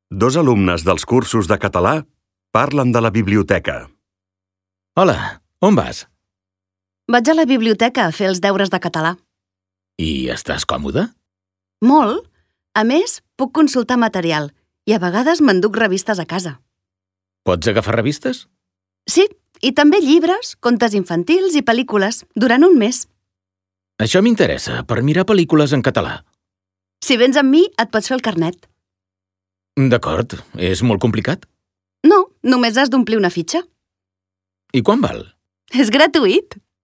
Dos alumnes dels cursos de català parlen de la biblioteca. Hola, on vas? Vaig a la biblioteca a fer els deures de català. I estàs còmode? Molt. A més, puc consultar material i a vegades m'enduc revistes a casa. Pots agafar revistes? Sí, i també llibres, contes infantils i pel·lícules, durant un mes. Això m'interessa, per mirar pel·lícules en català. Si vens amb mi, et pots fer el carnet. D'acord, és molt complicat? No, només has d'omplir una fitxa. I quan val? És gratuït.